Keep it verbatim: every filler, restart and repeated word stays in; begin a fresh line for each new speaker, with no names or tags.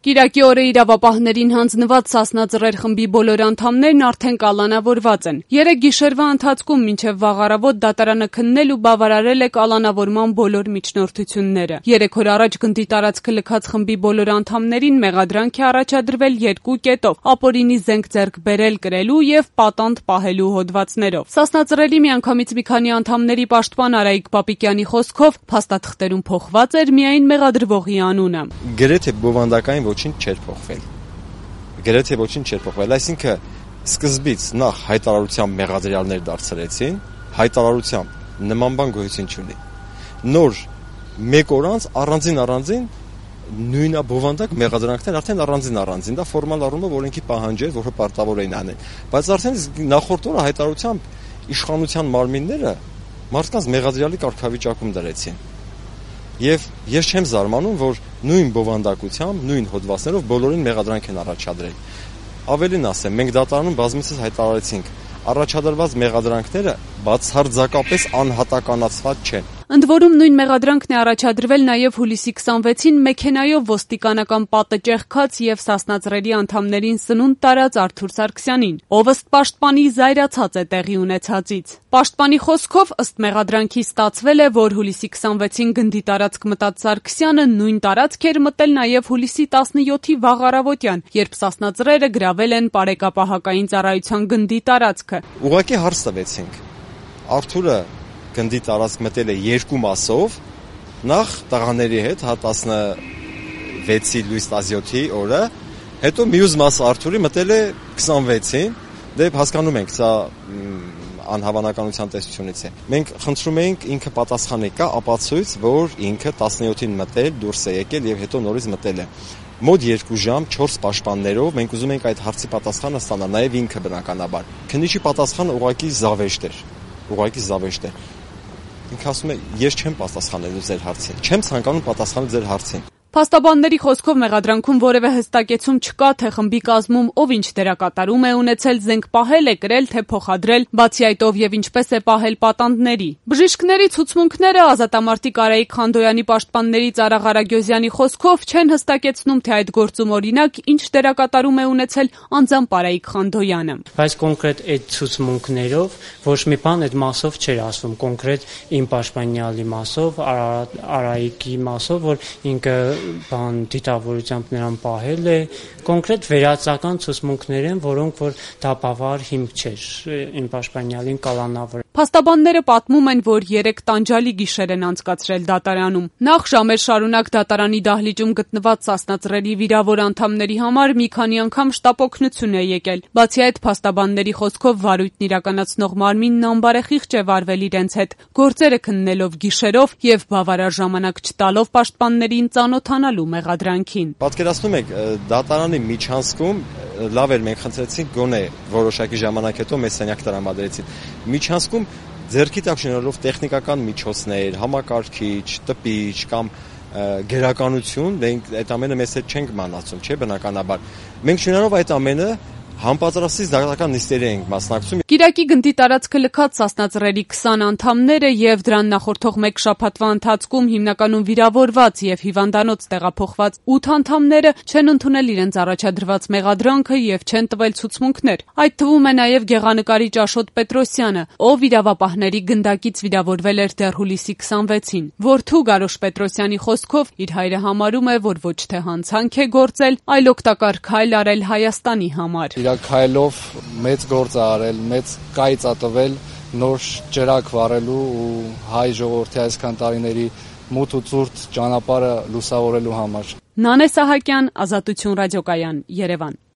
Կիրակի օրը իրավապահներին հանձնված Սասնա Ծռեր խմբի բոլոր անդամներն արդեն կալանավորված են։ Երեկ գիշերվա ընթացքում մինչև վաղ առավոտ դատարանը քննել ու բավարարել է կալանավորման բոլոր միջնորդությունները։ Երեք օր առաջ գնդի տարածքը լքած խմբի բոլոր անդամներին մեղադրանք է առաջադրվել երկու կետով՝ ապօրինի զենք ձեռք բերել, կրելու եւ պատանդ պահելու հոդվածներով։ Սասնա Ծռերի միանգամից մի քանի անդամների պաշտպան Արայիկ Պապիկյանի խոսքով փաստաթղթերում փոխված էր միայն մեղադրվողի անունը։
Գրեթե բովանդակային ոչինչ չէր փոխվել։ Գրեթե ոչինչ չէր փոխվել, այսինքն սկզբից նախ հայտարարությամբ մեղադրյալներ դարձրեցին, հայտարարությամբ նման բան գոյություն չունի։ Նոր մեկ օր անց առանձին առանձին նույնաբովանդակ մեղադրանքներ արդեն առանձին առանձին, դա ֆորմալ առումով օրենքի պահանջ է, որը պարտավոր էին անել։ Բայց արդեն նախորդ օրը հայտարարությամբ իշխանության մարմինները մարդկանց մեղադրյալի կարգավիճակում դրեցին։ Եվ ես չեմ զարմանում, որ նույն բովանդակությամբ, նույն հոդվածներով բոլորին մեղադրանք են առաջադրել։ Ավելին ասեմ, մենք դատարանում բազմիցս հայտարարեցինք, առաջադրված մեղադրանքները բացարձակապես անհատականացված չեն։
Ընդ որում նույն մեղադրանքն է առաջադրվել նաև հուլիսի քսանվեցին մեքենայով ոստիկանական պատը ճեղքած եւ Սասնա Ծռերի անդամներին սնունդ տարած Արթուր Սարգսյանին, ով ըստ պաշտպանի զայրացած է տեղի ունեցածից։ Պաշտպանի խոսքով ըստ մեղադրանքի ստացվել է, որ հուլիսի քսանվեցին գնդի տարածք մտած Սարգսյանը նույն տարածք էր մտել նաև հուլիսի տասնյոթի վաղ առավոտյան, երբ Սասնա Ծռերը գրավել են Պարեկապահակային ծառայության գնդի տարածքը։
Ուղղակի հարց տվեցինք։ Արթուրը գնդի տարածք մտել է երկու մասով, նախ տղաների հետ, հա տասնվեցի լույս տասնյոթի օրը, հետո մյուս մասը Արթուրի մտել է քսանվեցին, դե հասկանում ենք, սա անհավանականության տեսությունից է։ Մենք խնդրում էինք ինքը պատասխանի կա ապացույց, որ ինքը տասնյոթին մտել, դուրս է եկել եւ հետո նորից մտել է։ Մոտ երկու ժամ չորս պաշտպաններով մենք ուզում ենք այդ հարցի պատասխանը ստանալ, նաեւ ինքը բնականաբար։ Քննիչի պատասխանը ուղղակի զավեշտ էր, ուղղակի զավեշտ էր։ Ինքը ասում է, ես չեմ պատասխանելու ձեր հարցին, չեմ ցանկանում պատասխանել ձեր հարցին։
Փաստաբանների խոսքով մեղադրանքում որևէ հստակեցում չկա, թե խմբի կազմում ով ինչ դերակատարում է ունեցել, զենք պահել է, կրել, թե փոխադրել, բացի այդ ով եւ ինչպես է պահել պատանդների։ Բժիշկների ցուցմունքները ազատամարտիկ Արայիկ Խանդոյանի պաշտպանների Ծառա Ղարագյոզյանի խոսքով չեն հստակեցնում, թե այդ գործում օրինակ ինչ դերակատարում է ունեցել անձամբ Արայիկ Խանդոյանը։
Բայց կոնկրետ այդ ցուցմունքներով ոչ մի բան այդ մասով չէր ասվում, կոնկրետ իմ պաշտպանյալի մասով, Արայիկի մասով, որ ինքը բան դիտավորությամբ նրան պահել է, կոնկրետ վերացական ցուցմունքներ են, որոնք որ դա բավարար հիմք չէր իմ պաշտպանյալին կալանավորել։
Փաստաբանները պատմում են, որ երեք տանջալի գիշեր են անցկացրել դատարանում։ Նախ ժամեր շարունակ դատարանի դահլիճում գտնված Սասնա Ծռերի վիրավոր անդամների համար մի քանի անգամ շտապօգնություն է եկել։ Բացի այդ, փաստաբանների խոսքով վարույթն իրականացնող մարմինն անբարեխիղճ է վարվել իրենց հետ, գործերը քննելով գիշերով եւ բավարար ժամանակ չտալով պաշտպաններին ծանոթանալու մեղադրանքին։
Պատկերացնում եք, դատարանի միջանցքում լավ էր, մենք խնդրեցինք գոնե որոշակի ժամանակ հետո մեզ սենյակ տրամադրեցին։ Միջանցքում ձեռքի տակ շնորհելով տեխնիկական միջոցներ, համակարգիչ, տպիչ կամ գերականություն, մենք այդ ամենը մեզ հետ չենք մանացում, չէ՞, բնականաբար։ Մենք շնորհով այդ ամենը համապատրաստից դատական նիստերի ենք մասնակցում։
Կիրակի գնդի տարածքը լքած Սասնա Ծռերի քսան անդամները եւ դրան նախորդող մեկ շաբաթվա ընթացքում հիմնականում վիրավորված եւ հիվանդանոց տեղափոխված ութ անդամները չեն ընդունել իրենց առաջադրված մեղադրանքը եւ չեն տվել ցուցմունքներ։ Այդ թվում է նաեւ գեղանկարիչ Աշոտ Պետրոսյանը, ով իրավապահների գնդակից վիրավորվել էր դեռ հուլիսի քսանվեցին։ Որդու Գարոշ Պետրոսյանի խոսքով իր հայրը համարում է, որ ոչ թե հանցանք է գործել, այլ օգտակար քայլ արել Հայաստանի համար։
Քայլով մեծ գործ է արել, մեծ կայծ է տվել նոր ջրակ վառելու ու հայ ժողովրդի այսքան տարիների մութ ու ցուրտ ճանապարհը լուսավորելու համար։
Նանե Սահակյան, Ազատություն ռադիոկայան, Երևան։